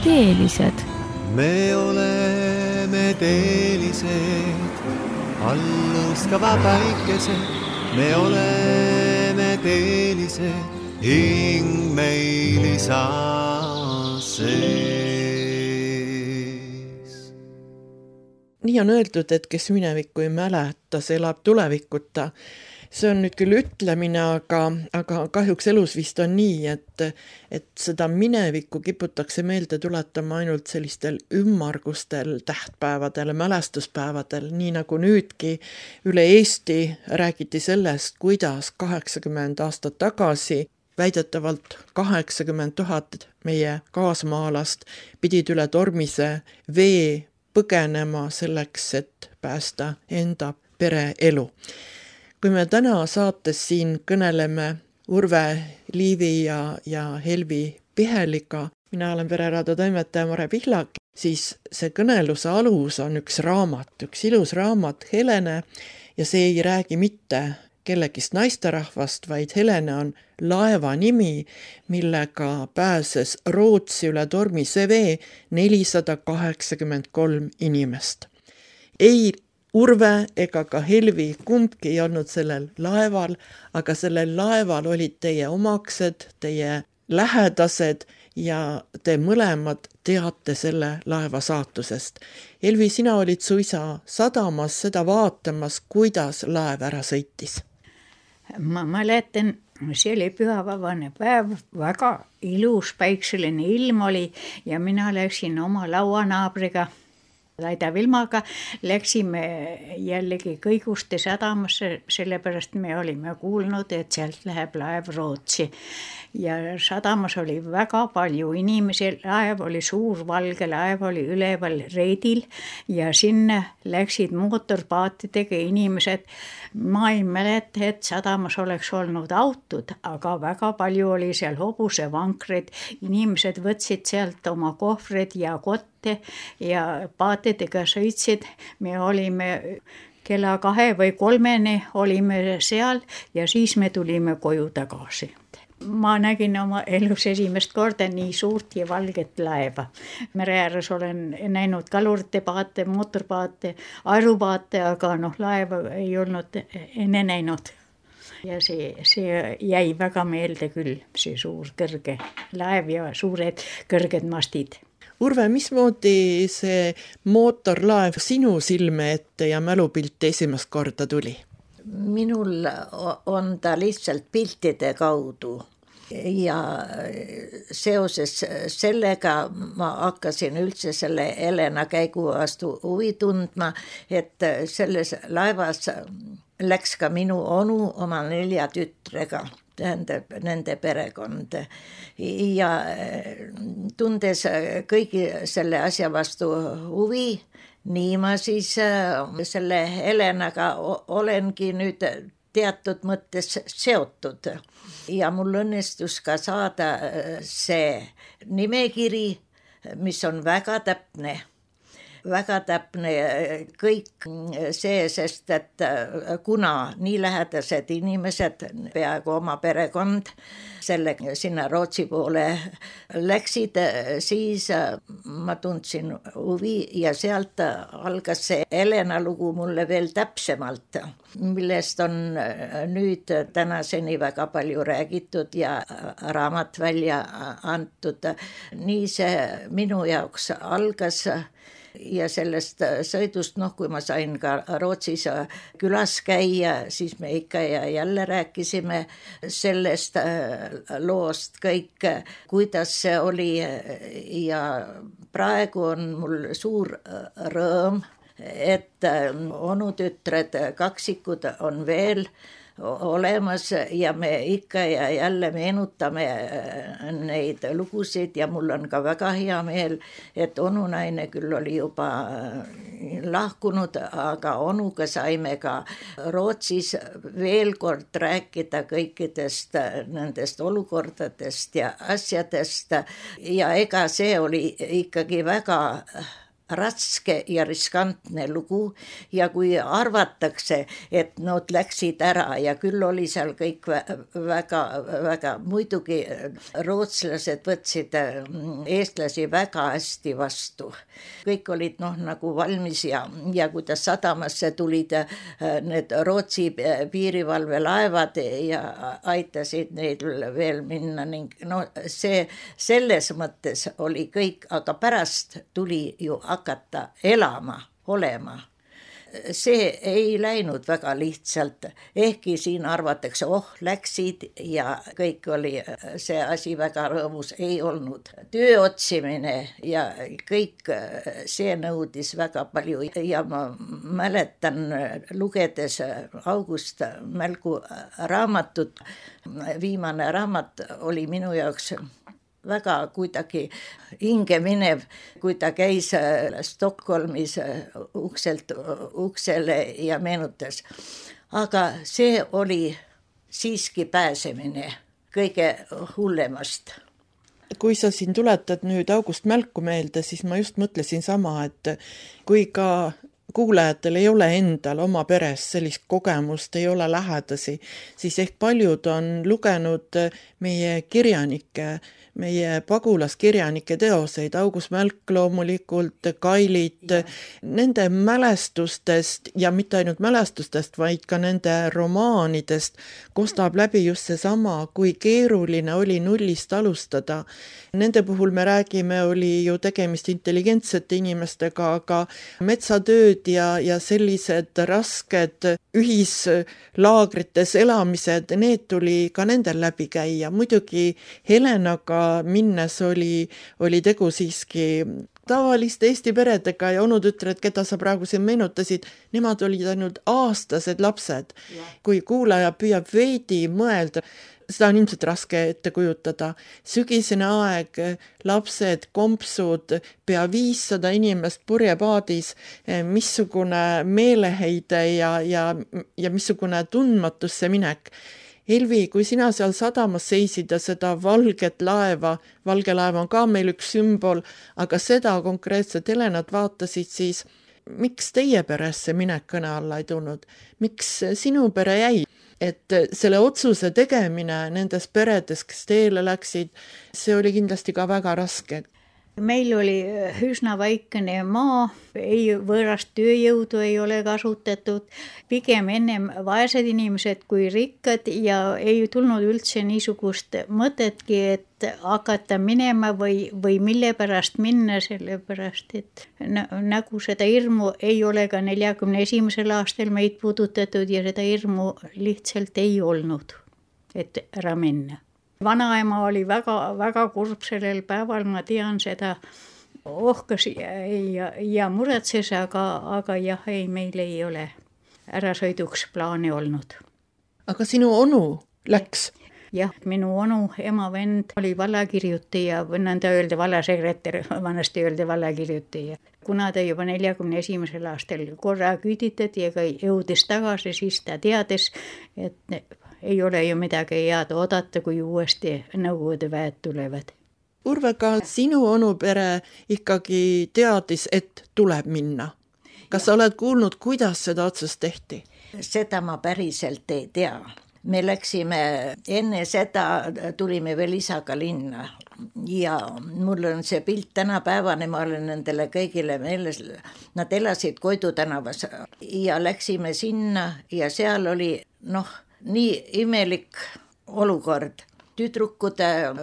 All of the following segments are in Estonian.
teelised. Me oleme teelised, alluskava päikesed. Me oleme teelised, hing meil isa sees. Nii on öeldud, et kes minevikku ei mäleta, see elab tulevikuta. See on nüüd küll ütlemine, aga kahjuks elus vist on nii, et seda minevikku kiputakse meelde tuletama ainult sellistel ümmargustel tähtpäevadel, mälestuspäevadel, nii nagu nüüdki üle Eesti räägiti sellest, kuidas 80 aastat tagasi väidetavalt 80 000 meie kaasmaalast pidid üle tormise vee põgenema selleks, et päästa enda pere elu. Kui me täna saates siin kõneleme Urve Liivi ja Helvi Piheliga, mina olen Pereraadio toimetaja Mare Pihlak, siis see kõneluse alus on üks raamat, üks ilus raamat Helene, ja see ei räägi mitte kellegist naisterahvast, vaid Helene on laeva nimi, millega pääses Rootsi üle tormise vee 483 inimest. Ei Urve ega ka Helvi kumbki ei olnud sellel laeval, aga sellel laeval olid teie omaksed, teie lähedased ja te mõlemad teate selle laeva saatusest. Helvi, sina olid suisa sadamas seda vaatamas, kuidas laev ära sõitis. Ma mäletan, see oli pühavabane päev, väga ilus päikseline ilm oli ja mina läksin oma lauanaabriga Laida Vilmaga, läksime jällegi Kõiguste sadamasse, sellepärast me olime kuulnud, et sealt läheb laev Rootsi. Ja sadamas oli väga palju inimesi, laev oli suur valge, laev oli üleval reidil ja sinna läksid mootorpaatidega inimesed. Ma ei mäleta, et sadamas oleks olnud autod, aga väga palju oli seal hobusevankreid. Inimesed võtsid sealt oma kohvrid ja kotte ja paatidega sõitsid. Me olime kella 2 või 3 olime seal ja siis me tulime koju tagasi. Ma nägin oma elus esimest korda nii suurt ja valget laeva. Mere ääres olen näinud kalurite paate, mootorpaate, aerupaate, aga laeva ei olnud enne näinud. Ja see jäi väga meelde küll, see suur kõrge laev ja suured kõrged mastid. Urve, mismoodi see mootorlaev sinu silme ette ja mälupilt esimest korda tuli? Minul on ta lihtsalt piltide kaudu ja seoses sellega ma hakkasin üldse selle Helena käigu vastu huvi tundma, et selles laevas läks ka minu onu oma 4 tütrega, tähendab nende perekond ja tundes kõigi selle asja vastu huvi, nii ma siis selle Helenaga olengi nüüd teatud mõttes seotud ja mul õnnestus ka saada see nimekiri, mis on väga täpne kõik see, sest et kuna nii lähedased inimesed, peaaegu oma perekond, sinna Rootsi poole läksid, siis ma tundsin huvi ja sealt algas see Helena lugu mulle veel täpsemalt, millest on nüüd tänaseni väga palju räägitud ja raamat välja antud. Nii see minu jaoks algas. Ja sellest sõidust, kui ma sain ka Rootsis külas käia, siis me ikka ja jälle rääkisime sellest loost kõik, kuidas see oli ja praegu on mul suur rõõm, et onutütred kaksikud on veel olemas ja me ikka ja jälle meenutame neid lugusid ja mul on ka väga hea meel, et onunaine küll oli juba lahkunud, aga onuga saime ka Rootsis veel kord rääkida kõikidest nendest olukordadest ja asjadest ja ega see oli ikkagi väga raske ja riskantne lugu ja kui arvatakse, et nad läksid ära ja küll oli seal kõik väga, muidugi rootslased võtsid eestlasi väga hästi vastu. Kõik olid nagu valmis ja kuidas sadamasse tulid need Rootsi piirivalvelaevad ja aitasid neil veel minna ning see selles mõttes oli kõik, aga pärast tuli ju hakata elama, olema. See ei läinud väga lihtsalt, ehkki siin arvatakse, läksid ja kõik oli see asi väga rõõmus, ei olnud. Töö otsimine ja kõik see nõudis väga palju ja ma mäletan lugedes August Mälgu raamatut, viimane raamat oli minu jaoks väga kuidagi hinge minev, kui ta käis Stockholmis ukselt uksele ja meenutas. Aga see oli siiski pääsemine kõige hullemast. Kui sa siin tuletad nüüd August Mälku meelde, siis ma just mõtlesin sama, et kui ka kuulajatel ei ole endal oma peres sellist kogemust, ei ole lähedasi, siis ehk paljud on lugenud meie kirjanike, meie pagulaskirjanike teoseid, August Mälk loomulikult, Kailit, nende mälestustest ja mitte ainult mälestustest, vaid ka nende romaanidest kostab läbi just seesama, kui keeruline oli nullist alustada. Nende puhul me räägime, oli ju tegemist intelligentsete inimestega, aga metsatööd ja sellised rasked ühislaagrites elamised, need tuli ka nendel läbi käia. Muidugi Helenaga minnes oli tegu siiski tavaliste Eesti peredega ja onutütred, keda sa praegu siin meenutasid, nemad olid ainult aastased lapsed. Kui kuulaja püüab veidi mõelda, seda on ilmselt raske ette kujutada. Sügisene aeg, lapsed, kompsud, pea 500 inimest purjepaadis, missugune meeleheide ja missugune tundmatusse minek. Elvi, kui sina seal sadamas seisid ja seda valget laeva, valge laev on ka meil üks sümbol, aga seda konkreetset Helenat vaatasid, siis miks teie peresse minek kõne alla ei tulnud? Miks sinu pere jäi? Et selle otsuse tegemine nendes peredes, kes teele läksid, see oli kindlasti ka väga raske. Meil oli üsna väikene maa, võõrast tööjõudu ei ole kasutatud, pigem ennem vaesed inimesed kui rikkad ja ei tulnud üldse niisugust mõtetki, et hakata minema või mille pärast minna, sellepärast et nagu seda hirmu ei ole ka 41. aastal meid puudutatud ja seda hirmu lihtsalt ei olnud, et ära minna. Vanaema oli väga kurb sellel päeval, ma tean seda, ohkas ja muretses, aga jah, meil ei ole ärasõiduks plaani olnud. Aga sinu onu läks? Jah, minu onu, ema vend oli vallakirjutaja, nõnda öelda vallasekretär, vanasti öelda vallakirjutaja. Kuna ta juba 41. aastal korra küüditati ja jõudis tagasi, siis ta teadis, et ei ole ju midagi head oodata, kui uuesti Nõukogude väed tulevad. Urve, ka sinu onupere ikkagi teadis, et tuleb minna. Kas sa oled kuulnud, kuidas seda otsust tehti? Seda ma päriselt ei tea. Me läksime, enne seda tulime veel isaga linna ja mul on see pilt tänapäevane, ma olen nendele kõigile meeles, nad elasid Koidu tänavas ja läksime sinna ja seal oli nii imelik olukord. Tüdrukud,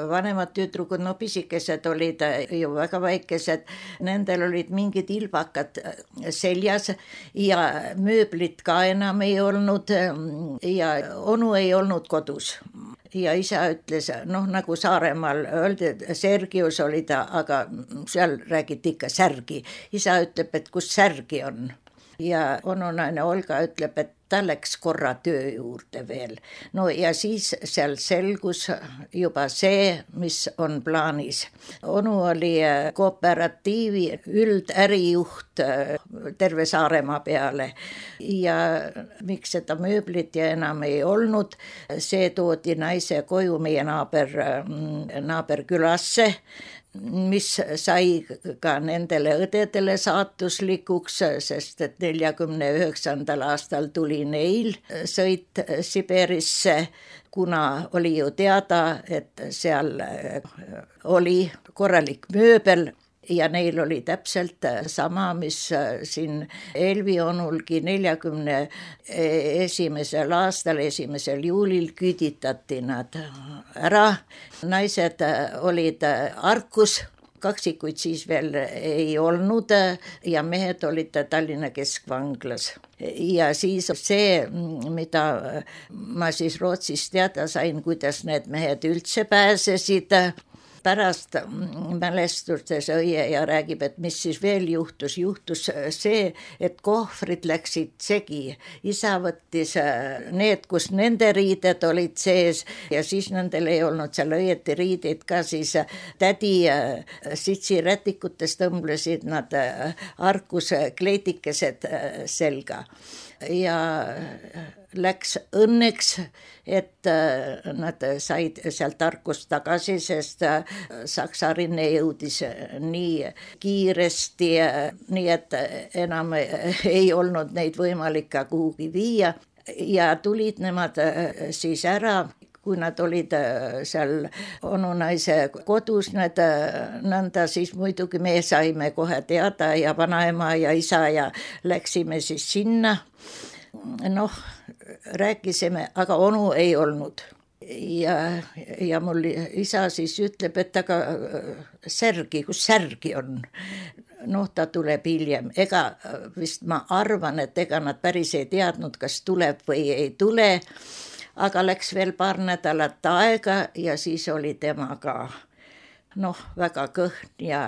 vanemad tüdrukud, pisikesed olid ju väga väikesed, nendel olid mingid ilbakad seljas ja mööblit ka enam ei olnud ja onu ei olnud kodus. Ja isa ütles, nagu Saaremaal öeldi, Sergius oli ta, aga seal räägiti ikka särgi. Isa ütleb, et kus särgi on. Ja onunaine Olga ütleb, et ta läks korra töö juurde veel. Ja siis seal selgus juba see, mis on plaanis. Onu oli kooperatiivi üldärijuht terve Saaremaa peale ja miks seda mööblit ja enam ei olnud, see toodi naise koju meie naaberkülasse mis sai ka nendele õdedele saatuslikuks, sest et 49. aastal tuli neil sõit Siberisse, kuna oli ju teada, et seal oli korralik mööbel ja neil oli täpselt sama, mis siin Elvi onulgi 41. aastal, 1. juulil küüditati nad ära. Naised olid Arkus, kaksikuid siis veel ei olnud ja mehed olid Tallinna keskvanglas. Ja siis see, mida ma siis Rootsis teada sain, kuidas need mehed üldse pääsesid, pärast mälestustes õie ja räägib, et mis siis veel juhtus. Juhtus see, et kohvrid läksid segi. Isa võttis need, kus nende riided olid sees ja siis nendel ei olnud seal õieti riideid ka, siis tädi sitsirätikutes tõmblesid nad Arkus kleidikesed selga. Ja läks õnneks, et nad said sealt Arkust tagasi, sest Saksa rinne jõudis nii kiiresti, nii et enam ei olnud neid võimalik ka kuhugi viia ja tulid nemad siis ära. Kui nad olid seal onunaise kodus, nõnda siis muidugi me saime kohe teada ja vanaema ja isa ja läksime siis sinna. Noh, rääkisime, aga onu ei olnud. Ja mul isa siis ütleb, et aga särgi, kus särgi on? Noh, ta tuleb hiljem. Ega vist ma arvan, et ega nad päris ei teadnud, kas tuleb või ei tule. Aga läks veel paar nädalat aega ja siis oli tema ka väga kõhn ja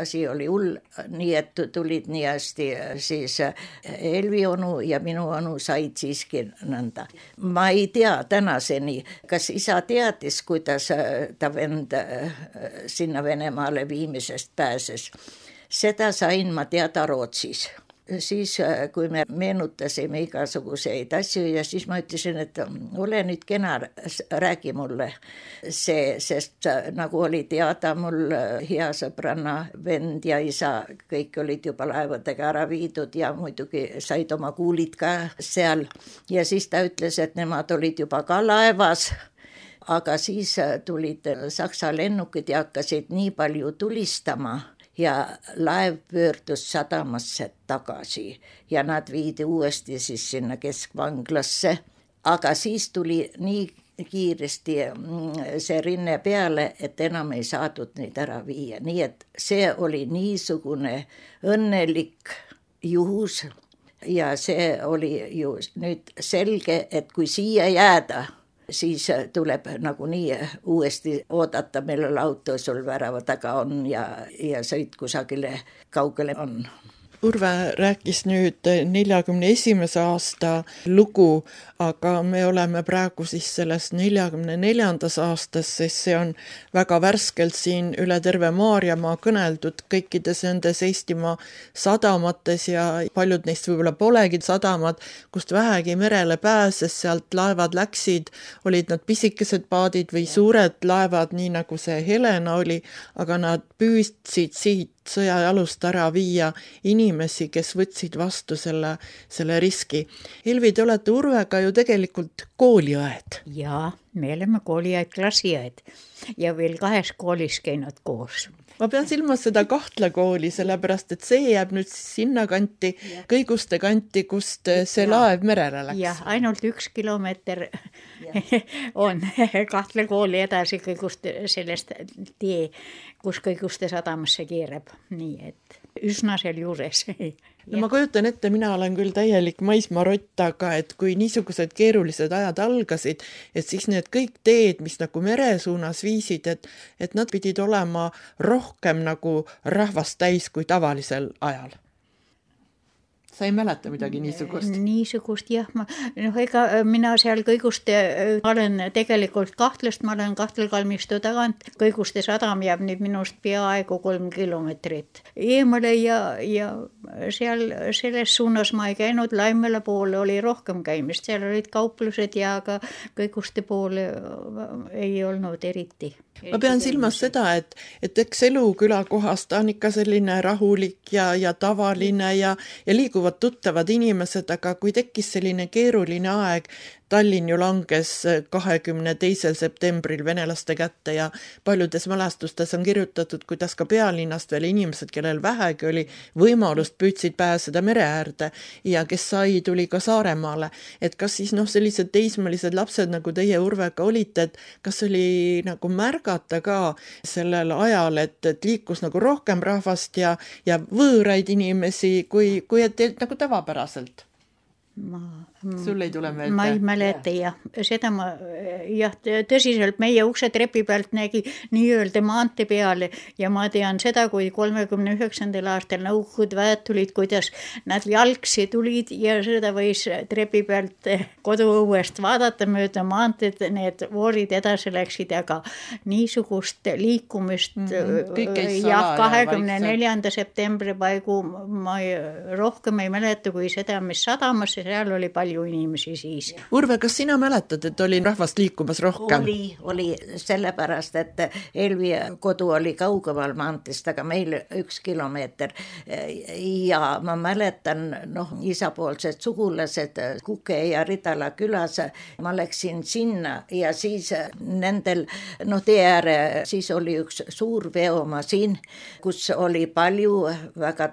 asi oli hull, nii et tulid nii hästi siis Elvi onu ja minu onu said siiski nõnda. Ma ei tea tänaseni, kas isa teadis, kuidas ta vend sinna Venemaale viimisest pääses. Seda sain ma teada Rootsis. Siis, kui me meenutasime igasuguseid asju ja siis ma ütlesin, et ole nüüd kena, räägi mulle see, sest nagu oli teada mul hea sõbranna vend ja isa, kõik olid juba laevadega ära viidud ja muidugi said oma kuulid ka seal. Ja siis ta ütles, et nemad olid juba ka laevas, aga siis tulid Saksa lennukid ja hakkasid nii palju tulistama. Ja laev pöördus sadamasse tagasi ja nad viidi uuesti siis sinna keskvanglasse. Aga siis tuli nii kiiresti see rinne peale, et enam ei saadud neid ära viia. Nii et see oli niisugune õnnelik juhus ja see oli ju nüüd selge, et kui siia jääda, siis tuleb nagunii uuesti oodata, millel auto sul värava taga on ja sõit kusagile kaugele on. Urve rääkis nüüd 41. aasta lugu, aga me oleme praegu siis selles 44. aastas, sest see on väga värskelt siin üle terve Maarjamaa kõneldud kõikides nendes Eestimaa sadamates ja paljud neist võib-olla polegi sadamad, kust vähegi merele pääses, sealt laevad läksid, olid nad pisikesed paadid või suured laevad, nii nagu see Helena oli, aga nad püüdsid siit sõjajalust ära viia inimesi, kes võtsid vastu selle riski. Elvi, te olete Urvega ju tegelikult kooliõed. Jaa, me oleme kooliõed, klassiõed ja veel 2 koolis käinud koos. Ma pean silmas seda Kahtla kooli, sellepärast et see jääb nüüd sinna kanti, Kõiguste kanti, kust see laev merele läks. Jah, ainult 1 kilomeeter on Kahtla kooli edasi Kõiguste sellest tee, kus Kõiguste sadamasse keerab. Nii et üsna seal juures. No ma kujutan ette, mina olen küll täielik maismaarott, aga et kui niisugused keerulised ajad algasid, et siis need kõik teed, mis nagu mere suunas viisid, et nad pidid olema rohkem nagu rahvast täis kui tavalisel ajal. sa ei mäleta midagi niisugust? Niisugust jah, ega mina seal Kõiguste olen tegelikult Kahtlast, ma olen Kahtlkalmistu tagant, Kõiguste sadam jääb nüüd minust peaaegu 3 kilomeetrit eemale ja seal selles suunas ma ei käinud, Laimela poole oli rohkem käimist, seal olid kauplused ja ka Kõiguste poole ei olnud eriti. Ma pean silmas seda, et eks elu külakohas ta on ikka selline rahulik ja tavaline ja liiguvad tuttavad inimesed, aga kui tekkis selline keeruline aeg, Tallinn ju langes 22. septembril venelaste kätte ja paljudes mälestustes on kirjutatud, kuidas ka pealinnast veel inimesed, kellel vähegi oli võimalust, püüdsid pääseda mere äärde ja kes sai, tuli ka Saaremaale. Et kas siis sellised teismelised lapsed, nagu teie Urvega olite, et kas oli nagu märgata ka sellel ajal, et liikus nagu rohkem rahvast ja võõraid inimesi, kui et nagu tavapäraselt? Sul ei tule meelde? Ma ei mäleta jah, seda ma jah, tõsiselt meie uksetrepi pealt nägi nii-öelda maantee peale ja ma tean seda, kui 39. aastal Nõukogude väed tulid, kuidas nad jalgsi tulid ja seda võis trepi pealt koduõuest vaadata mööda maanteed, need voorid edasi läksid, aga niisugust liikumist jah, 24. septembri paigu ma rohkem ei mäleta kui seda, mis sadamasse, seal oli palju inimesi siis. Urve, kas sina mäletad, et oli rahvast liikumas rohkem? Oli sellepärast, et Elvi kodu oli kaugemal maantest, aga meil 1 kilomeeter. Ja ma mäletan, isapoolsed sugulased Kuke ja Ridala külas, ma läksin sinna ja siis nendel, tee ääre, siis oli üks suur veomasin, kus oli palju väga,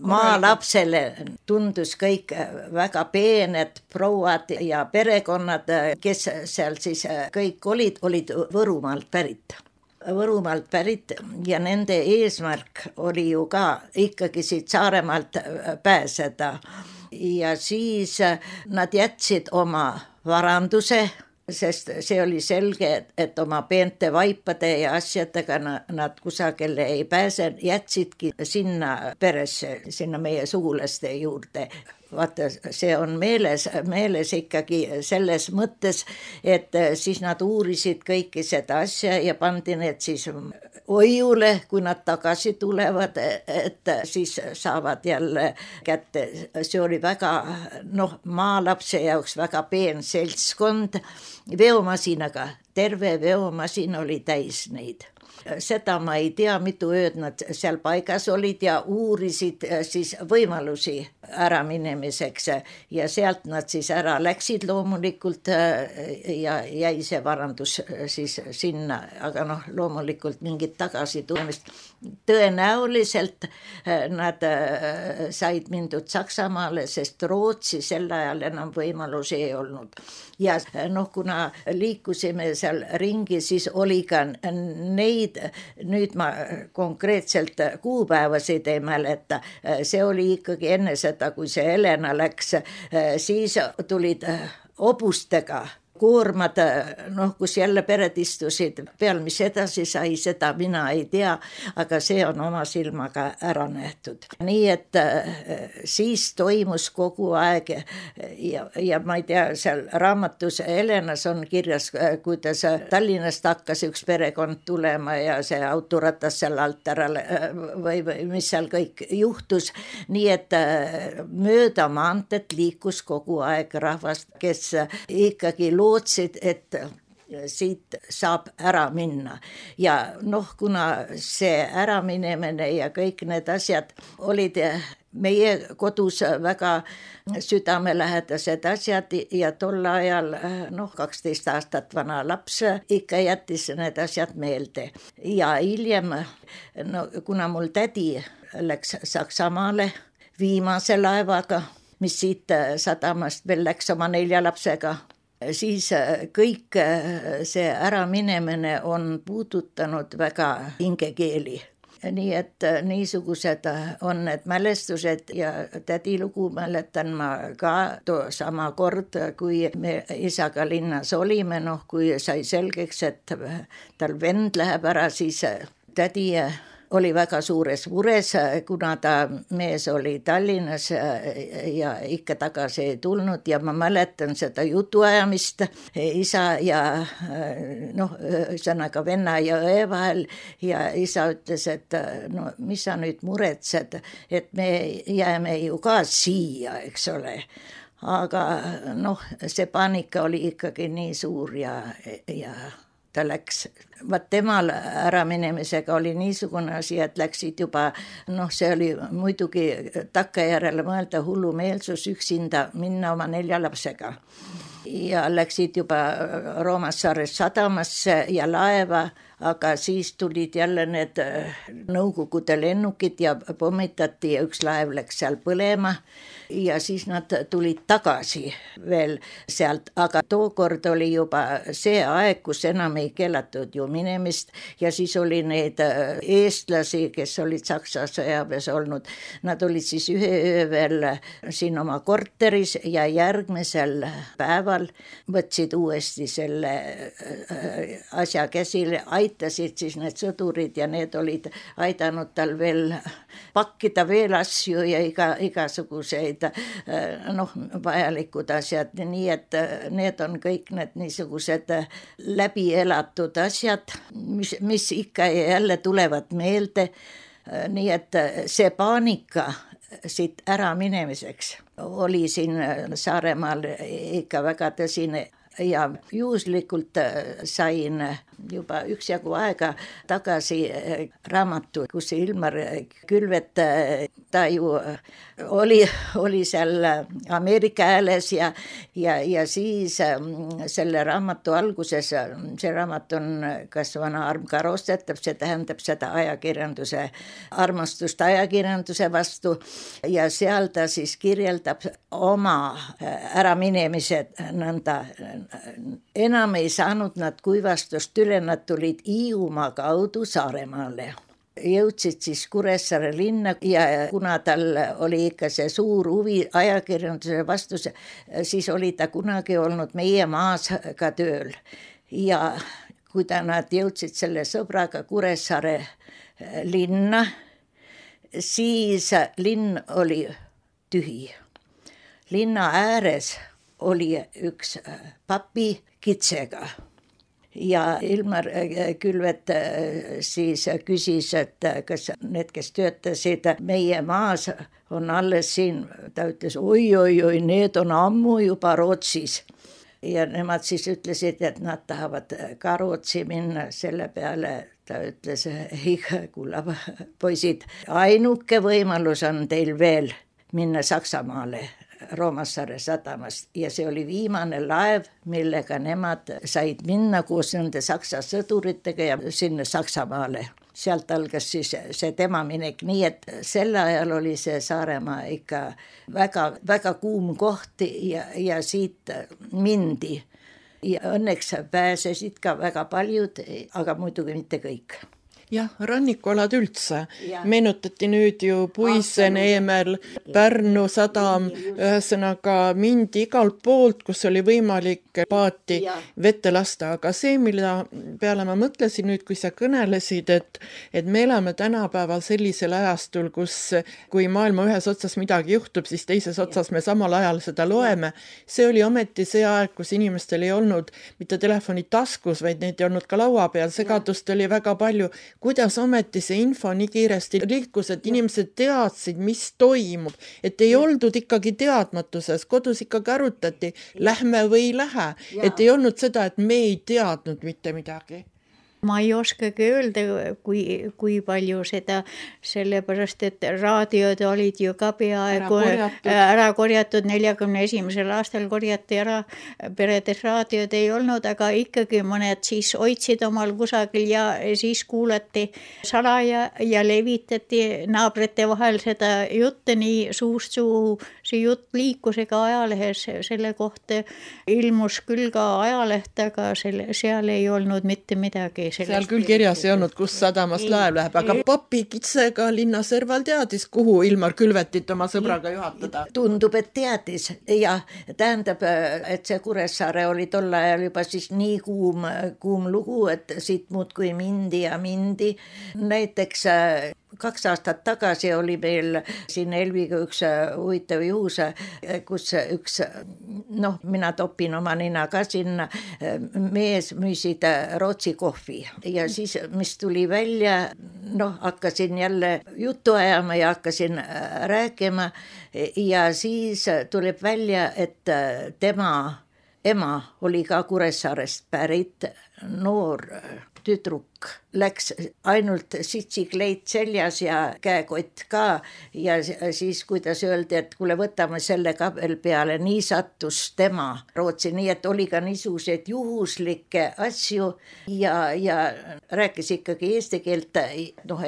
maalapsele tundus kõik väga peened prouad ja perekonnad, kes seal siis kõik olid Võrumaalt pärit ja nende eesmärk oli ju ka ikkagi siit Saaremaalt pääseda ja siis nad jätsid oma varanduse, sest see oli selge, et oma peente vaipade ja asjadega nad kusagile ei pääse, jätsidki sinna peresse, sinna meie sugulaste juurde. Vaata, see on meeles ikkagi selles mõttes, et siis nad uurisid kõiki seda asja ja pandi need siis hoiule, kui nad tagasi tulevad, et siis saavad jälle kätte. See oli väga, maalapse jaoks väga peen seltskond veomasinaga, terve veomasin oli täis neid. Seda ma ei tea, mitu ööd nad seal paigas olid ja uurisid siis võimalusi ära minemiseks ja sealt nad siis ära läksid loomulikult ja jäi see varandus siis sinna, aga loomulikult mingit tagasi tulemist. Tõenäoliselt nad said mindud Saksamaale, sest Rootsi sel ajal enam võimalusi ei olnud. Ja kuna liikusime seal ringi, siis oli ka neid, nüüd ma konkreetselt kuupäevasid ei mäleta, see oli ikkagi enne seda, kui see Helena läks, siis tulid hobustega koormad, kus jälle pered istusid peal, mis edasi sai, seda mina ei tea, aga see on oma silmaga ära nähtud. Nii et siis toimus kogu aeg ja ma ei tea, seal raamatus Helenas on kirjas, kuidas Tallinnast hakkas üks perekond tulema ja see autoratas seal alt ära või mis seal kõik juhtus. Nii et mööda maantet liikus kogu aeg rahvast, kes ikkagi lootsid, et siit saab ära minna. Ja kuna see äraminemine ja kõik need asjad olid meie kodus väga südamelähedased asjad ja tol ajal 12 aastat vana laps ikka jättis need asjad meelde. Ja hiljem, kuna mul tädi läks Saksamaale viimase laevaga, mis siit sadamast veel läks oma 4 lapsega, siis kõik see äraminemine on puudutanud väga hingekeeli. Nii et niisugused on need mälestused ja tädi lugu mäletan ma ka sama kord, kui me isaga linnas olime, kui sai selgeks, et tal vend läheb ära, siis tädi oli väga suures mures, kuna ta mees oli Tallinnas ja ikka tagasi ei tulnud ja ma mäletan seda jutuajamist isa ja ühesõnaga venna ja õe vahel ja isa ütles, et no mis sa nüüd muretsed, et me jääme ju ka siia, eks ole. Aga see paanika oli ikkagi nii suur ja ta läks. Temal äraminemisega oli niisugune asi, et läksid juba, see oli muidugi takkajärele mõelda hullumeelsus üksinda minna oma 4 lapsega. Ja läksid juba Roomassaare sadamasse ja laeva, aga siis tulid jälle need Nõukogude lennukid ja pommitati ja üks laev läks seal põlema ja siis nad tulid tagasi veel sealt, aga tookord oli juba see aeg, kus enam ei keelatud ju minemist ja siis oli neid eestlasi, kes olid Saksa sõjaväes olnud, nad olid siis ühe öö veel siin oma korteris ja järgmisel päeval võtsid uuesti selle asja käsile, aitasid siis need sõdurid ja need olid aidanud tal veel pakkida veel asju ja igasuguseid vajalikud asjad, nii et need on kõik need niisugused läbi elatud asjad, mis ikka ja jälle tulevad meelde, nii et see paanika siit ära minemiseks oli siin Saaremaal ikka väga tõsine ja juhuslikult sain juba üksjagu aega tagasi raamatu, kus Ilmar Külvet, ta ju oli seal Ameerika Hääles ja siis selle raamatu alguses, see raamat on Kas vana arm ka rostetab, see tähendab seda armastust ajakirjanduse vastu ja seal ta siis kirjeldab oma äraminemised nõnda. Enam ei saanud nad kuivastust üle, nad tulid Hiiumaa kaudu Saaremaale. Jõudsid siis Kuressaare linna ja kuna tal oli ikka see suur huvi ajakirjanduse vastu, siis oli ta kunagi olnud Meie Maas ka tööl. Ja kui nad jõudsid selle sõbraga Kuressaare linna, siis linn oli tühi. Linna ääres oli üks papi kitsega ja Ilmar Külvet siis küsis, et kas need, kes töötasid Meie Maas, on alles siin. Ta ütles, oi, need on ammu juba Rootsis. Ja nemad siis ütlesid, et nad tahavad ka Rootsi minna, selle peale ta ütles, kulla poisid, ainuke võimalus on teil veel minna Saksamaale Roomassaare sadamast ja see oli viimane laev, millega nemad said minna koos nende Saksa sõduritega ja sinna Saksamaale. Sealt algas siis see tema minek, nii et sel ajal oli see Saaremaa ikka väga, väga kuum koht ja siit mindi. Ja õnneks pääsesid ka väga paljud, aga muidugi mitte kõik. Jah, rannikualad üldse. Meenutati nüüd ju Puisen, Eemel, Pärnu sadam, ühesõnaga mindi igalt poolt, kus oli võimalik paati vette lasta. Aga see, mille peale ma mõtlesin nüüd, kui sa kõnelesid, et me elame tänapäeval sellisel ajastul, kus kui maailma ühes otsas midagi juhtub, siis teises otsas me samal ajal seda loeme. See oli ometi see aeg, kus inimestel ei olnud mitte telefoni taskus, vaid neid ei olnud ka laua peal. Segadust oli väga palju. Kuidas ometi see info nii kiiresti liikus, et inimesed teadsid, mis toimub, et ei oldud ikkagi teadmatuses, kodus ikkagi arutati, lähme või ei lähe, et ei olnud seda, et me ei teadnud mitte midagi. Ma ei oskagi öelda, kui palju seda, sellepärast, et raadiod olid ju ka peaaegu ära korjatud, 41. aastal korjati ära, peredes raadiod ei olnud, aga ikkagi mõned siis hoidsid omal kusagil ja siis kuulati salaja ja levitati naabrite vahel seda jutte nii suust suhu see jutt liikus ega ajalehes, selle kohta ilmus küll ka ajalehte, aga seal ei olnud mitte midagi. Seal küll kirjas ei olnud, kus sadamast laev läheb, aga papi Kitsega linnaserval teadis, kuhu Ilmar Külvetit oma sõbraga juhatada. Tundub, et teadis ja tähendab, et see Kuressaare oli tol ajal juba siis nii kuum lugu, et siit muudkui mindi ja mindi. Näiteks 2 aastat tagasi oli meil siin Elviga üks huvitav juhus, kus üks, mina topin oma nina ka sinna, mees müüsid Rootsi kohvi ja siis, mis tuli välja, hakkasin jälle juttu ajama ja hakkasin rääkima ja siis tuleb välja, et tema ema oli ka Kuressaarest pärit, noor tüdruk, läks ainult sitsikleit seljas ja käekott ka ja siis, kuidas öeldi, et kuule, võtame selle ka veel peale, nii sattus tema Rootsi, nii et oli ka niisuguseid juhuslikke asju ja rääkis ikkagi eesti keelt,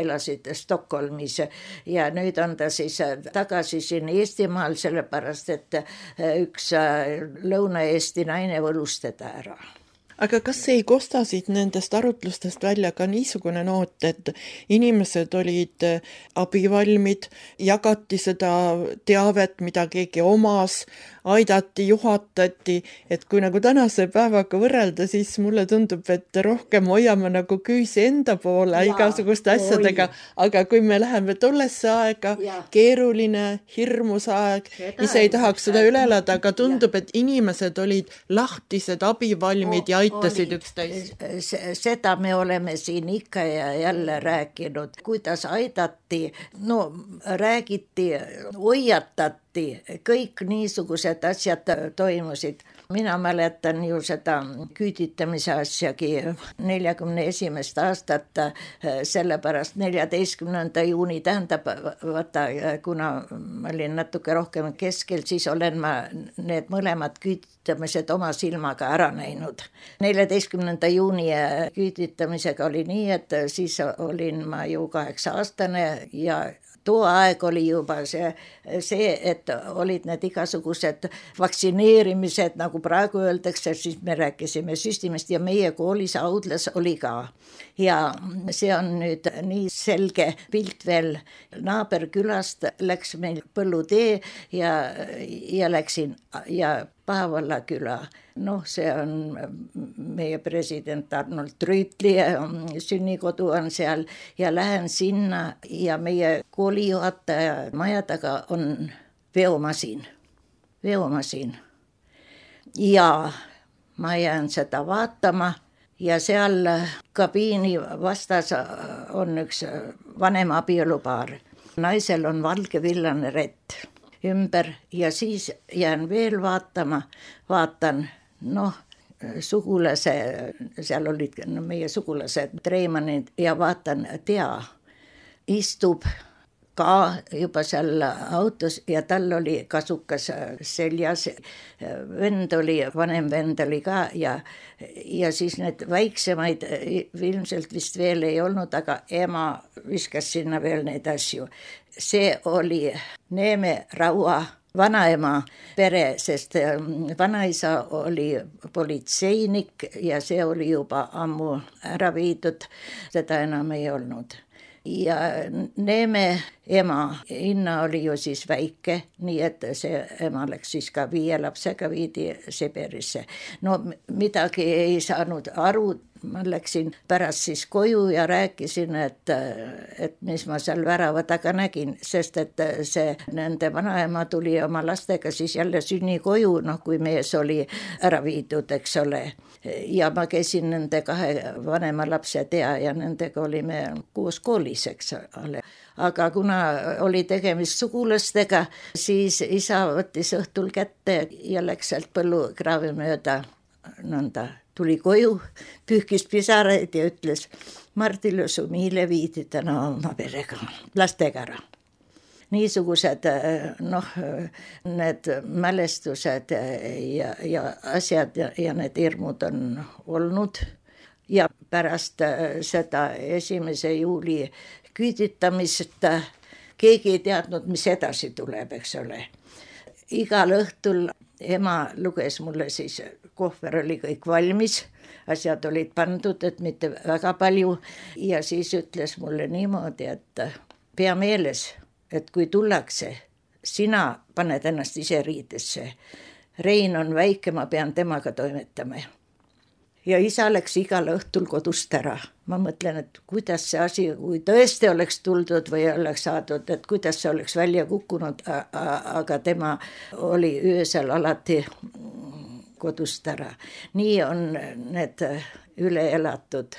elasid Stockholmis ja nüüd on ta siis tagasi siin Eestimaal, sellepärast et üks Lõuna-Eesti naine võlus teda ära. Aga kas ei kosta siit nendest arutlustest välja ka niisugune noot, et inimesed olid abivalmid, jagati seda teavet, mida keegi omas, aidati, juhatati, et kui nagu tänase päevaga võrrelda, siis mulle tundub, et rohkem hoiame nagu küüsi enda poole igasuguste asjadega, aga kui me läheme tollesse aega, keeruline, hirmus aeg, ise ei tahaks seda üle elada, aga tundub, et inimesed olid lahtised, abivalmid ja aitasid üksteist. Seda me oleme siin ikka ja jälle rääkinud, kuidas aidati, räägiti, hoiatati, kõik niisugused asjad toimusid. Mina mäletan ju seda küüditamise asjagi 41. aastat, sellepärast 14. juuni tähendab, kuna ma olin natuke rohkem keskel, siis olen ma need mõlemad küüditamised oma silmaga ära näinud. 14. juuni küüditamisega oli nii, et siis olin ma ju 8-aastane ja too aeg oli juba see, et olid need igasugused vaktsineerimised, nagu praegu öeldakse, siis me rääkisime süstimist ja meie koolis Audlas oli ka. Ja see on nüüd nii selge pilt veel. Naaberkülast läks meil Põllutee ja läksin ja Paavalla küla. See on meie president Arnold Rüütli sünnikodu on seal ja lähen sinna ja meie koolijuhataja maja taga on veomasin. Ja ma jään seda vaatama ja seal kabiini vastas on üks vanem abielupaar. Naisel on valge-villane rett ümber ja siis jään veel vaatan, sugulase, seal olid meie sugulased Treimanid ja vaatan, istub ka juba seal autos ja tal oli kasukas seljas, vanem vend oli ka ja siis need väiksemaid ilmselt vist veel ei olnud, aga ema viskas sinna veel neid asju. See oli Neeme Raua vanaema pere, sest vanaisa oli politseinik ja see oli juba ammu ära viidud, seda enam ei olnud. Ja Neeme ema, Inna oli ju siis väike, nii et see ema läks siis ka 5 lapsega viidi Siberisse. Midagi ei saanud aru, ma läksin pärast siis koju ja rääkisin, et mis ma seal värava taga nägin, sest et see nende vanaema tuli oma lastega siis jälle sünnikoju, kui mees oli ära viidud, eks ole. Ja ma käisin nende 2 vanema lapse ja nendega olime koos koolis, eks ole. Aga kuna oli tegemist sugulastega, siis isa võttis õhtul kätte ja läks sealt põllukraavi mööda nõnda. Tuli koju, pühkis pisaraid ja ütles, Mardile su Miile viidi täna oma perega, lastega ära. Niisugused need mälestused ja asjad ja need hirmud on olnud. Ja pärast seda 1. juuli küüditamist keegi ei teadnud, mis edasi tuleb, eks ole. igal õhtul ema luges mulle siis, kohver oli kõik valmis, asjad olid pandud, et mitte väga palju ja siis ütles mulle niimoodi, et pea meeles, et kui tullakse, sina paned ennast ise riidesse. Rein on väike, ma pean temaga toimetama. Ja isa läks igal õhtul kodust ära. Ma mõtlen, et kuidas see asi, kui tõesti oleks tuldud või oleks saadud, et kuidas see oleks välja kukkunud, aga tema oli öösel alati kodust ära. Nii on need üle elatud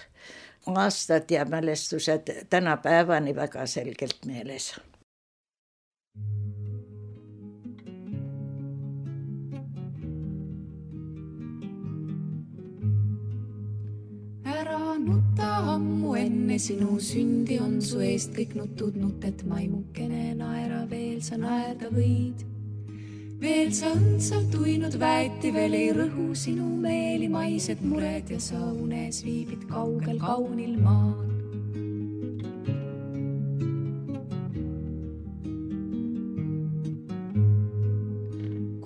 aastad ja mälestused tänapäevani väga selgelt meeles. Ära nutta ammu enne sinu sündi on su eest kõik nutud nutet maimukene naera veel sa naerda võid. Veel sa õndsalt uinud väeti, veel ei rõhu sinu meeli maised mured ja sa unes viibid kaugel kaunil maal.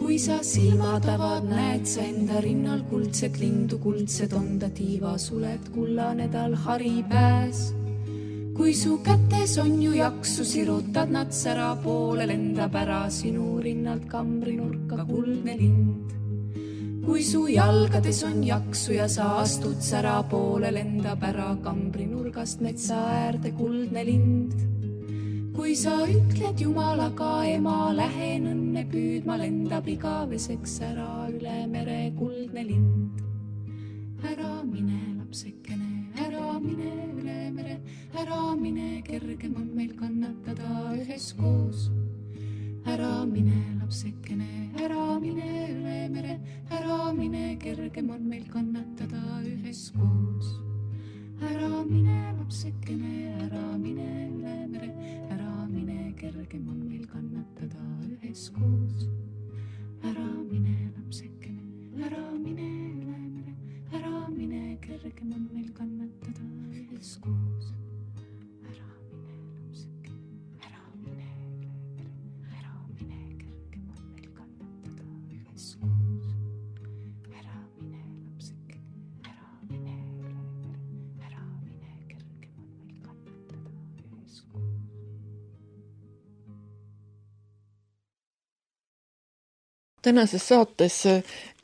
Kui sa silmad avad, näed sa enda rinnal kuldset lindu, kuldsed on ta tiivasuled, kullane tal hari pääs. Kui su kätes on ju jaksu, sirutad nad sära poole, lendab ära sinu rinnalt kambrinurka kuldne lind. Kui su jalgades on jaksu ja sa astud sära poole, lendab ära kambrinurgast metsa äärde kuldne lind. Kui sa ütled Jumalaga, ema, lähen õnne püüdma, lendab igaveseks ära üle mere kuldne lind. Ära mine, lapsekene, ära mine üle mere, ära mine, kergem on meil kannatada üheskoos. Ära mine, lapsekene, ära mine üle mere, ära mine, kergem on meil kannatada üheskoos. Ära mine, lapsekene, ära mine üle mere, ära mine, kergem on meil kannatada üheskoos. Ära mine, lapsekene, ära mine üle mere, ära mine, kergem on meil kannatada üheskoos. Ära mine, lapsekene, ära mine üle mere, ära mine, kergem on meil kannatada üheskoos. Ära mine, lapsekene, ära mine üle mere, ära mine, kergem on meil kannatada üheskoos. Tänases saates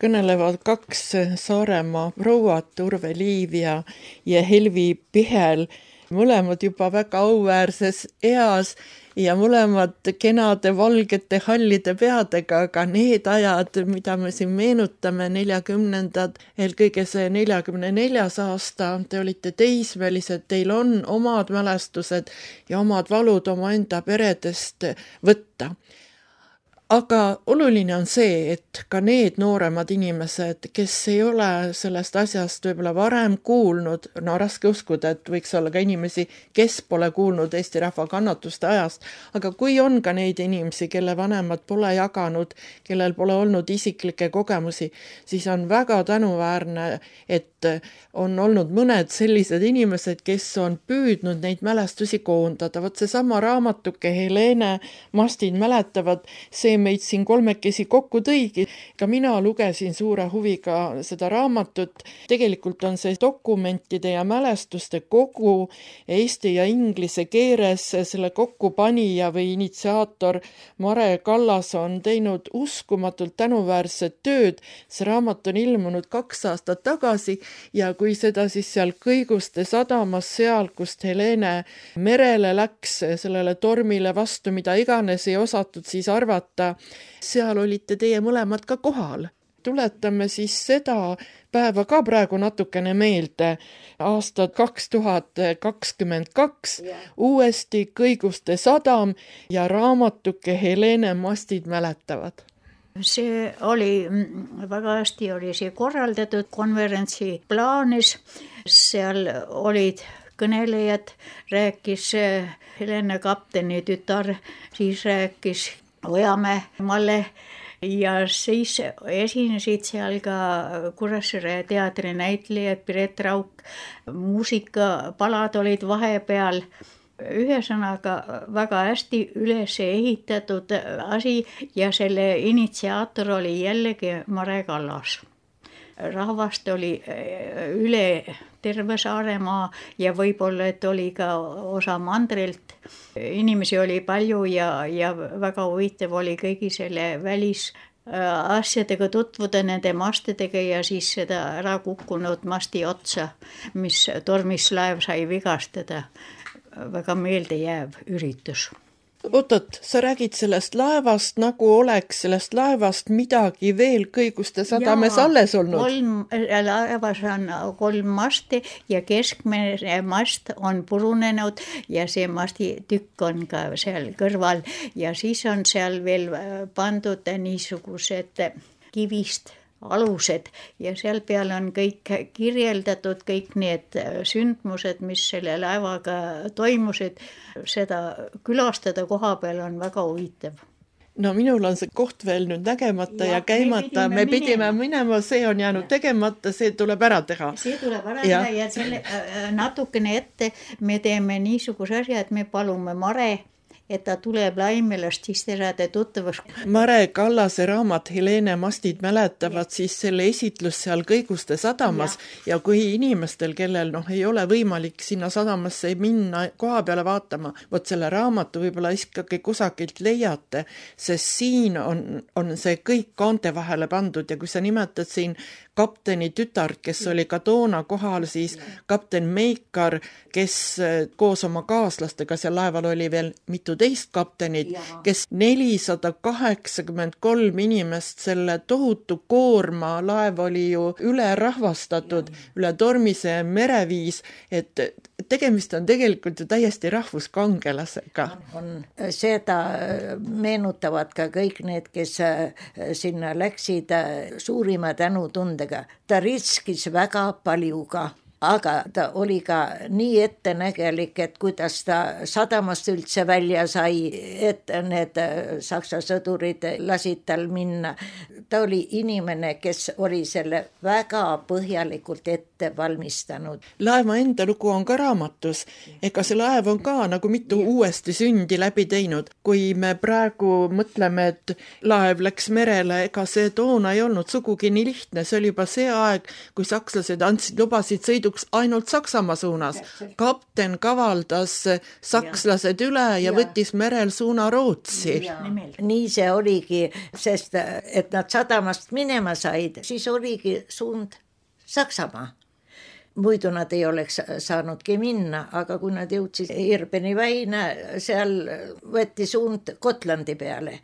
kõnelevad kaks Saaremaa prouat, Urve Liiv ja Helvi Pihel, mõlemad juba väga auväärses eas ja mõlemad kenade valgete hallide peadega, aga need ajad, mida me siin meenutame, 40-ndad, eelkõige see 44. aasta, te olite teismelised, teil on omad mälestused ja omad valud omaenda peredest võtta. Aga oluline on see, et ka need nooremad inimesed, kes ei ole sellest asjast võib-olla varem kuulnud, no raske uskuda, et võiks olla ka inimesi, kes pole kuulnud Eesti rahva kannatuste ajast, aga kui on ka neid inimesi, kelle vanemad pole jaganud, kellel pole olnud isiklikke kogemusi, siis on väga tänuväärne, et on olnud mõned sellised inimesed, kes on püüdnud neid mälestusi koondada. Võt seesama raamatuke Helene Mastid mäletavad, see meid siin kolmekesi kokku tõigi. Ka mina lugesin suure huviga seda raamatut. Tegelikult on see dokumentide ja mälestuste kogu eesti ja inglise keeles. Selle kokkupanija või initsiaator Mare Kallas on teinud uskumatult tänuväärset tööd. See raamat on ilmunud 2 aastat tagasi ja kui seda siis seal Kõiguste sadamas, seal, kust Helene merele läks, sellele tormile vastu, mida iganes ei osatud siis arvata, seal olite teie mõlemad ka kohal. Tuletame siis seda päeva ka praegu natukene meelde. Aastad 2022, uuesti Kõiguste sadam ja raamatuke Helene Mastid mäletavad. See oli väga hästi oli see korraldatud konverentsi plaanis, seal olid kõnelejad, rääkis Helene kapteni tütar, siis rääkis Ojamäe Malle ja siis esinesid seal ka Kuressaare teatri näitlejad, Piret Rauk, muusikapalad olid vahepeal. Ühesõnaga väga hästi üles ehitatud asi ja selle initsiaator oli jällegi Mare Kallas. Rahvast oli üle terve Saaremaa ja võib-olla, et oli ka osa mandrilt. Inimesi oli palju ja väga huvitav oli kõigi selle välisasjadega tutvuda, nende mastidega ja siis seda ära kukkunud masti otsa, mis tormis laev sai vigastada. Väga meeldejääv üritus. Oot, sa räägid sellest laevast, nagu oleks sellest laevast midagi veel Kõiguste sadames alles olnud. Laevas on 3 masti ja keskmine mast on purunenud ja see masti tükk on ka seal kõrval ja siis on seal veel pandud niisugused kivist alused ja seal peal on kõik kirjeldatud, kõik need sündmused, mis selle laevaga toimusid. Seda külastada koha peal on väga huvitav. No minul on see koht veel nüüd nägemata ja käimata. Me pidime minema, see on jäänud tegemata, see tuleb ära teha. See tuleb ära teha ja selle natukene ette me teeme niisuguse asja, et me palume Mare, et ta tuleb Laimelast, siis te saate tuttavaks. Mare Kallase raamat Helene mastid mäletavad siis selle esitlus seal Kõiguste sadamas ja kui inimestel, kellel ei ole võimalik sinna sadamasse minna koha peale vaatama, võt selle raamatu võib-olla ikkagi kusagilt leiate, sest siin on see kõik kaante vahele pandud ja kui sa nimetad siin kapteni tütart, kes oli ka toona kohal, siis kapten Meikar, kes koos oma kaaslastega seal laeval oli veel mitu teist kaptenid, kes 483 inimest, selle tohutu koorma, laev oli ju üle rahvastatud, üle tormise mereviis, et tegemist on tegelikult ju täiesti rahvuskangelasega. Seda meenutavad ka kõik need, kes sinna läksid suurima tänutundega. Ta riskis väga paljuga, aga ta oli ka nii ettenägelik, et kuidas ta sadamast üldse välja sai, et need saksa sõdurid lasid tal minna. Ta oli inimene, kes oli selle väga põhjalikult ette valmistanud. Laeva enda lugu on ka raamatus. Ega see laev on ka nagu mitu uuesti sündi läbi teinud. Kui me praegu mõtleme, et laev läks merele, ega see toona ei olnud sugugi nii lihtne. See oli juba see aeg, kui sakslased lubasid sõiduks ainult Saksamaa suunas. Kapten kavaldas sakslased üle ja võttis merel suuna Rootsi. Nii see oligi, sest et nad sadamast minema said, siis oligi suund Saksamaa. Muidu nad ei oleks saanudki minna, aga kui nad jõudsid Irbeni väina, seal võeti suund Gotlandi peale,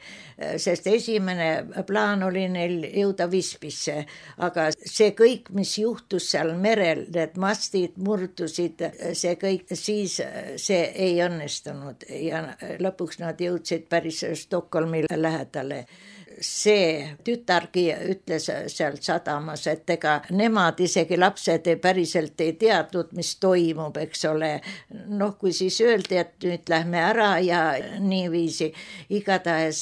sest esimene plaan oli neil jõuda Visbisse, aga see kõik, mis juhtus seal merel, need mastid murdusid, see kõik, siis see ei õnnestunud ja lõpuks nad jõudsid päris Stockholmi lähedale. See tütargi ütles sealt sadamas, et ega nemad isegi lapsed päriselt ei teadnud, mis toimub, eks ole. Kui siis öeldi, et nüüd lähme ära ja niiviisi. Igatahes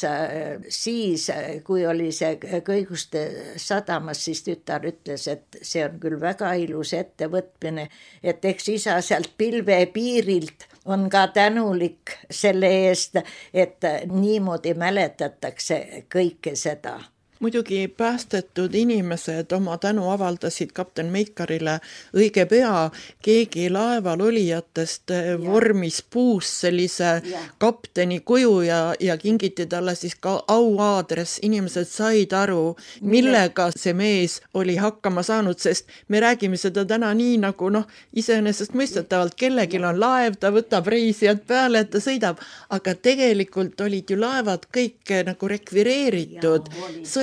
siis, kui oli see Kõiguste sadamas, siis tütar ütles, et see on küll väga ilus ettevõtmine, et eks isa sealt pilve piirilt on ka tänulik selle eest, et niimoodi mäletatakse kõike seda. Muidugi päästetud inimesed oma tänu avaldasid kapten Meikarile õige pea. Keegi laeval olijatest vormis puus sellise kapteni kuju ja kingiti talle siis ka auaadress. Inimesed said aru, millega see mees oli hakkama saanud, sest me räägime seda täna nii nagu iseenesest mõistetavalt. Kellegil on laev, ta võtab reisijad peale, et ta sõidab, aga tegelikult olid ju laevad kõik nagu rekvireeritud.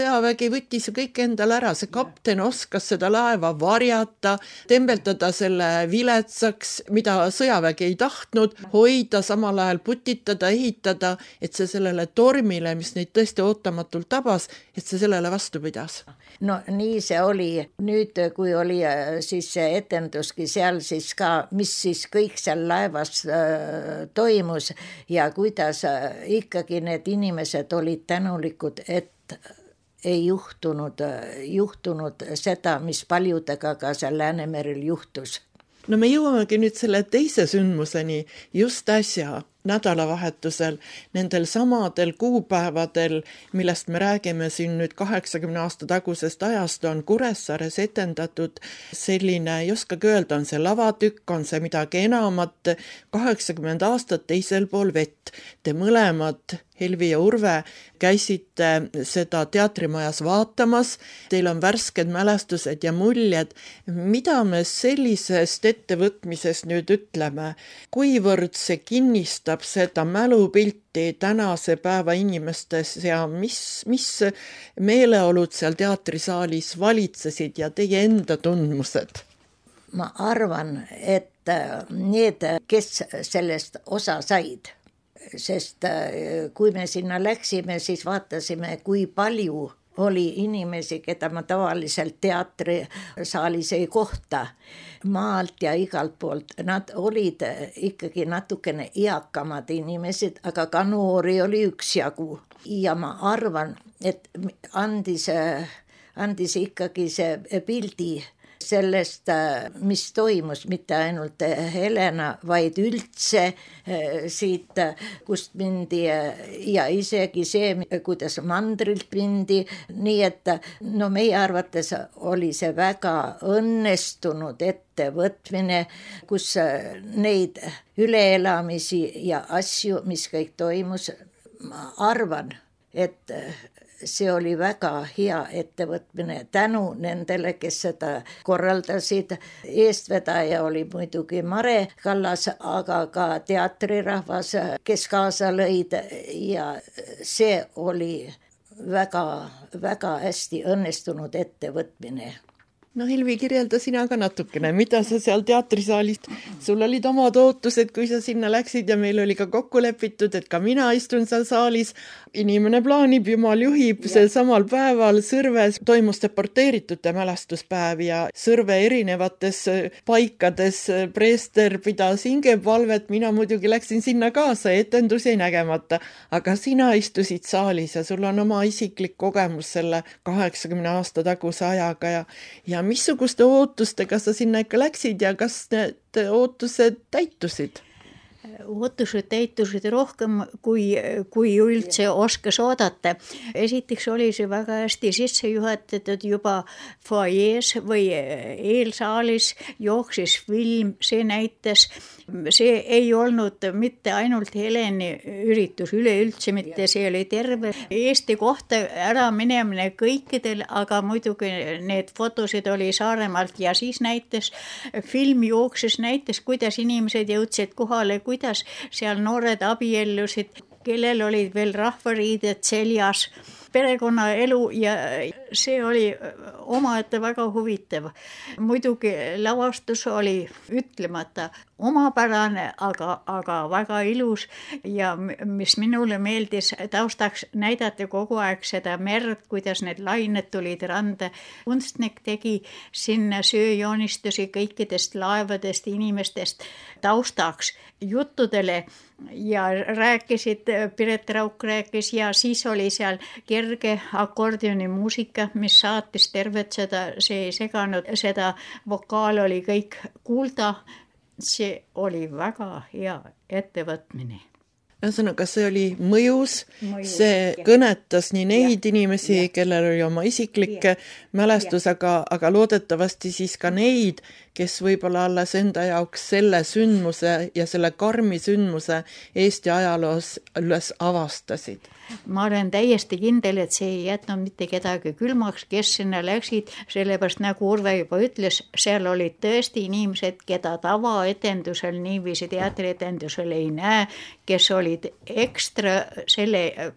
Sõjavägi võttis kõik endale ära, see kapten oskas seda laeva varjata, tembeltada selle viletsaks, mida sõjavägi ei tahtnud, hoida, samal ajal putitada, ehitada, et see sellele tormile, mis neid tõesti ootamatult tabas, et see sellele vastu pidas. No nii see oli. Nüüd, kui oli siis see etenduski seal siis ka, mis siis kõik seal laevas toimus ja kuidas ikkagi need inimesed olid tänulikud, et ei juhtunud seda, mis paljudega ka seal Läänemerel juhtus. no me jõuamegi nüüd selle teise sündmuseni just äsja, nädalavahetusel, nendel samadel kuupäevadel, millest me räägime siin nüüd 80 aasta tagusest ajast, on Kuressaares etendatud selline, ei oskagi öelda, on see lavatükk, on see midagi enamat, 80 aastat teisel pool vett. Te mõlemad, Helvi ja Urve, käisite seda teatrimajas vaatamas, teil on värsked mälestused ja muljed. Mida me sellisest ettevõtmisest nüüd ütleme? Kuivõrd see kinnistab seda mälupilti tänase päeva inimestes ja mis meeleolud seal teatrisaalis valitsesid ja teie enda tundmused? Ma arvan, et need, kes sellest osa said, sest kui me sinna läksime, siis vaatasime, kui palju oli inimesi, keda ma tavaliselt teatrisaalis ei kohta, maalt ja igalt poolt. Nad olid ikkagi natukene eakamad inimesed, aga ka noori oli üksjagu. Ja ma arvan, et andis ikkagi see pildi sellest, mis toimus, mitte ainult Helena, vaid üldse siit, kust mindi ja isegi see, kuidas mandrilt mindi. Nii et meie arvates oli see väga õnnestunud ettevõtmine, kus neid üleelamisi ja asju, mis kõik toimus, ma arvan, et see oli väga hea ettevõtmine tänu nendele, kes seda korraldasid. Eestvedaja oli muidugi Mare Kallas, aga ka teatrirahvas, kes kaasa lõid ja see oli väga, väga hästi õnnestunud ettevõtmine. No Helvi, kirjelda sina ka natukene, mida sa seal teatrisaalist, sul olid omad ootused, kui sa sinna läksid ja meil oli ka kokku lepitud, et ka mina istun seal saalis, inimene plaanib, jumal juhib, see samal päeval Sõrves toimus deporteeritute mälestuspäev ja Sõrve erinevates paikades preester pidas hingepalvet, mina muidugi läksin sinna kaasa, etendus jäi nägemata, aga sina istusid saalis ja sul on oma isiklik kogemus selle 80 aasta taguse ajaga ja missuguste ootustega sa sinna ikka läksid ja kas need ootused täitusid? Ootused täitusid rohkem, kui üldse oskas oodata. Esiteks oli see väga hästi sisse juhatatud juba foajees või eelsaalis, jooksis film, see näitas. See ei olnud mitte ainult Heleni üritus, üleüldse mitte, see oli terve Eesti kohta ära minemine kõikidel, aga muidugi need fotosid oli Saaremaalt ja siis näitas, film jooksis, näitas, kuidas inimesed jõudsid kohale, kuidas seal noored abiellusid, kellel olid veel rahvariided seljas, perekonnaelu ja see oli omaette väga huvitav. Muidugi lavastus oli ütlemata omapärane, aga väga ilus ja mis minule meeldis, taustaks näidati kogu aeg seda merd, kuidas need lained tulid randa. Kunstnik tegi sinna sööjoonistusi kõikidest laevadest, inimestest taustaks juttudele ja rääkisid, Piret Rauk rääkis ja siis oli seal kerge akordioni muusika, mis saatis tervet seda, see ei seganud, seda vokaal oli kõik kuulda. See oli väga hea ettevõtmine. Ühesõnaga, see oli mõjus, see kõnetas nii neid inimesi, kellel oli oma isiklik mälestus, aga loodetavasti siis ka neid, kes võib-olla alles enda jaoks selle sündmuse ja selle karmi sündmuse Eesti ajaloos üles avastasid. Ma olen täiesti kindel, et see ei jätnud mitte kedagi külmaks, kes sinna läksid, sellepärast nagu Urve juba ütles, seal olid tõesti inimesed, keda tavaetendusel, niiviisi teatrietendusel ei näe, kes olid ekstra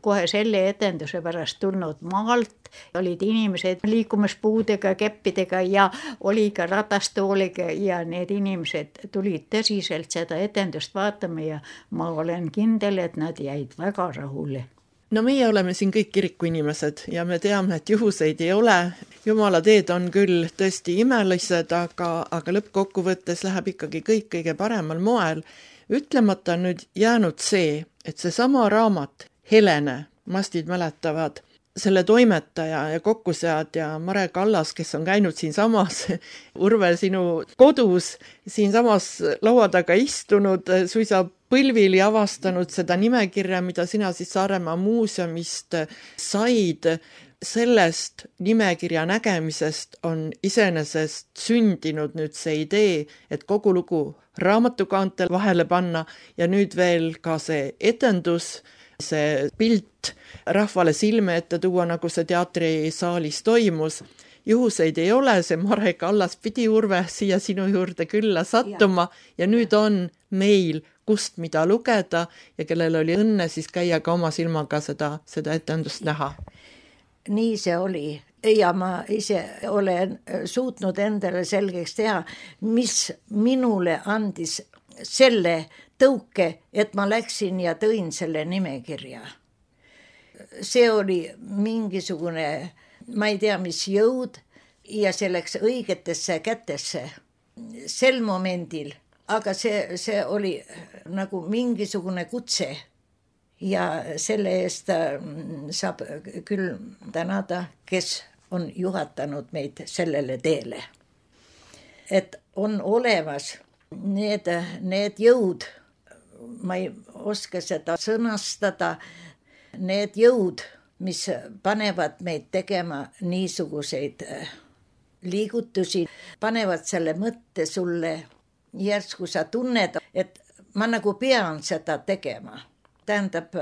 kohe selle etenduse pärast tulnud maalt, olid inimesed liikumispuudega, keppidega ja oli ka ratastooliga ja need inimesed tulid tõsiselt seda etendust vaatama ja ma olen kindel, et nad jäid väga rahule. No meie oleme siin kõik kirikuinimesed ja me teame, et juhuseid ei ole. Jumala teed on küll tõesti imelised, aga lõppkokkuvõttes läheb ikkagi kõik kõige paremal moel. Ütlemata on nüüd jäänud see, et see sama raamat, Helene, mastid mäletavad, selle toimetaja ja kokkuseadja Mare Kallas, kes on käinud siinsamas, Urve, sinu kodus, siinsamas laua taga istunud, suisa põlvili avastanud seda nimekirja, mida sina siis Saaremaa muuseumist said. Sellest nimekirja nägemisest on iseenesest sündinud nüüd see idee, et kogu lugu raamatukaantel vahele panna ja nüüd veel ka see etendus, see pilt rahvale silme ette tuua, nagu see teatrisaalis toimus. Juhuseid ei ole, see Mare Kallas pidi, Urve, siia sinu juurde külla sattuma ja nüüd on meil kust mida lugeda ja kellel oli õnne siis käia ka oma silmaga seda etendust näha. Nii see oli ja ma ise olen suutnud endale selgeks teha, mis minule andis selle tõuke, et ma läksin ja tõin selle nimekirja. See oli mingisugune, ma ei tea, mis jõud ja see läks õigetesse kätesse sel momendil, aga see oli nagu mingisugune kutse. Ja selle eest saab küll tänada, kes on juhatanud meid sellele teele. Et on olemas need jõud, ma ei oska seda sõnastada, need jõud, mis panevad meid tegema niisuguseid liigutusi, panevad selle mõtte sulle, järsku sa tunned, et ma nagu pean seda tegema. Tähendab,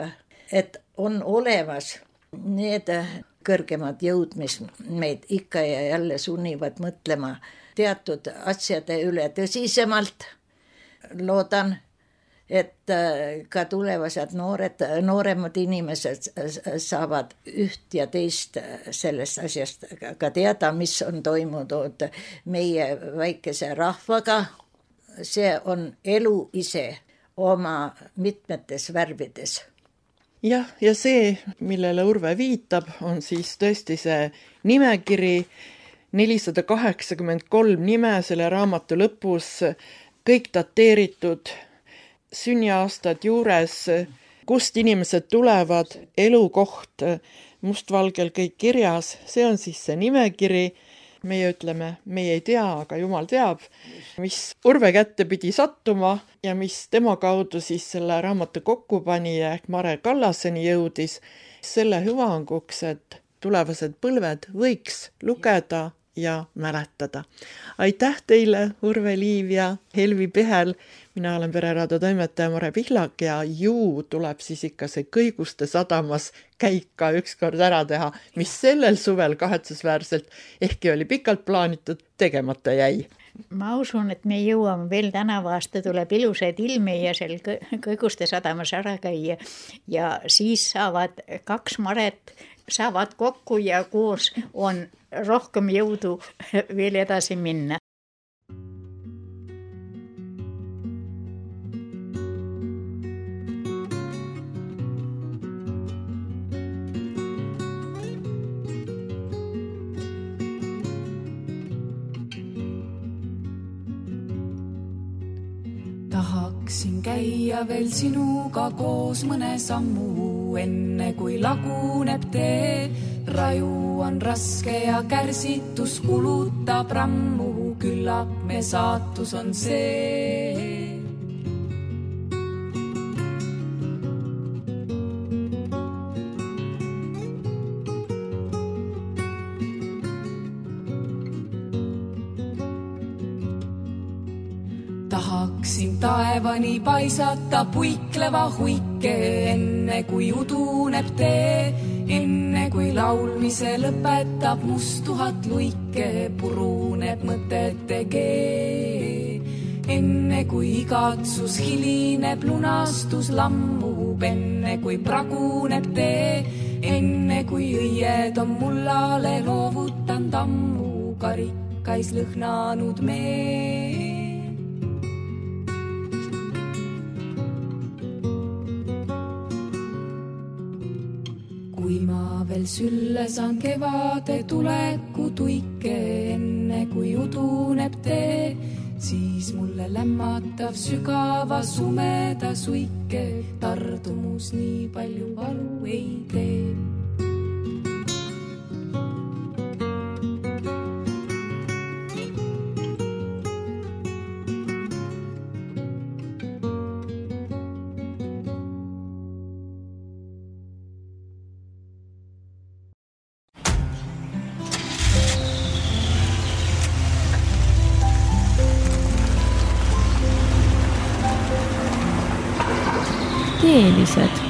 et on olemas need kõrgemad jõud, mis meid ikka ja jälle sunnivad mõtlema teatud asjade üle tõsisemalt. Loodan, et ka tulevased nooremad inimesed saavad üht ja teist sellest asjast ka teada, mis on toimunud meie väikese rahvaga. See on elu ise oma mitmetes värvides. Jah, ja see, millele Urve viitab, on siis tõesti see nimekiri, 483 nime selle raamatu lõpus, kõik dateeritud, sünniaastad juures, kust inimesed tulevad, elukoht, mustvalgel kõik kirjas, see on siis see nimekiri. Meie ütleme, meie ei tea, aga Jumal teab, mis Urve kätte pidi sattuma ja mis tema kaudu siis selle raamatu kokkupanija ehk Mare Kallaseni jõudis selle hüvanguks, et tulevased põlved võiks lugeda ja mäletada. Aitäh teile, Urve Liiv ja Helvi Pehel. Mina olen Pereraadio toimetaja Mare Pihlak ja ju tuleb siis ikka see Kõiguste sadamas käik ka ükskord ära teha, mis sellel suvel kahetsusväärselt, ehkki oli pikalt plaanitud, tegemata jäi. Ma usun, et me jõuame veel tänavu aasta tuleb ilusaid ilmi ja seal Kõiguste sadamas ära käia ja siis saavad kaks Maret saavad kokku ja koos on rohkem jõudu veel edasi minna. Tahaksin käia veel sinuga koos mõne sammu, enne kui laguneb tee. Raju on raske ja kärsitus kulutab rammu, küllap me saatus on see. Tahaksin taevani paisata puikleva huike, enne kui uduneb tee, enne kui laulmise lõpetab mustuhat luike, puruneb mõtete kee. Enne kui igatsus hilineb, lunastus lammub, enne kui praguneb tee, enne kui õied on mullale loovutanud ammu, karikais lõhnanud mee. Kui ma veel sülle saan kevade tuleku tuike, enne kui uduneb tee, siis mulle lämmatav sügava sumeda suike, tardumus nii palju valu ei tee. teelised.